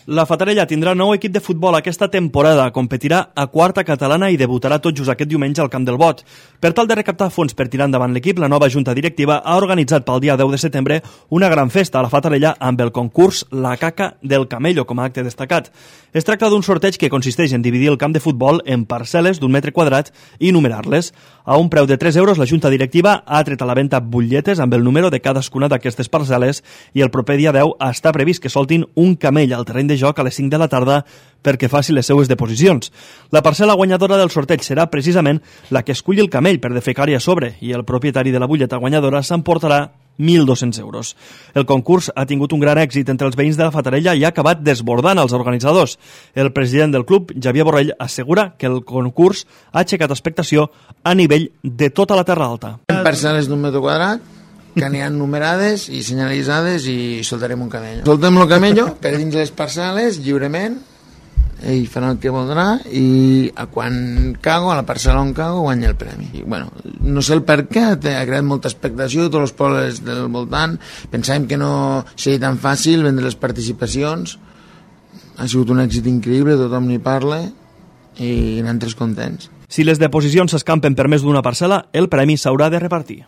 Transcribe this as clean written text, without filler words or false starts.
La Fatarella tindrà nou equip de futbol aquesta temporada, competirà a quarta catalana i debutarà tot just aquest diumenge al Camp del Bot. Per tal de recaptar fons per tirar endavant l'equip, la nova junta directiva ha organitzat pel dia 10 de setembre una gran festa a la Fatarella amb el concurs La Caca del Camello com a acte destacat. Es tracta d'un sorteig que consisteix en dividir el camp de futbol en parcel·les d'1 metre quadrat i numerar-les. A un preu de 3 euros, la junta directiva ha tret a la venda butlletes amb el número de cadascuna d'aquestes parcel·les i el proper dia 10 està previst que soltin un camell al terreny de joc a les 5 de la tarda perquè faci les seues deposicions. La parcel·la guanyadora del sorteig serà precisament la que esculli el camell per defecar-hi a sobre i el propietari de la butlleta guanyadora s'emportarà 1.200 euros. El concurs ha tingut un gran èxit entre els veïns de la Fatarella i ha acabat desbordant els organitzadors. El president del club, Javier Borrell, assegura que el concurs ha aixecat expectació a nivell de tota la Terra Alta. Parcel·les d'1 metre quadrat que n'hi ha numerades i senyalitzades i soltarem un camello. Soltem el camello per dins les parcel·les lliurement, ell farà el que voldrà i quan cago, a la parcel·la on cago, guanya el premi. I, bueno, no sé el per què, ha creat molta expectació, tots els pobles del voltant, pensàvem que no seria tan fàcil vendre les participacions, ha sigut un èxit increïble, tothom n'hi parla i nosaltres contents. Si les deposicions s'escampen per més d'una parcel·la, el premi s'haurà de repartir.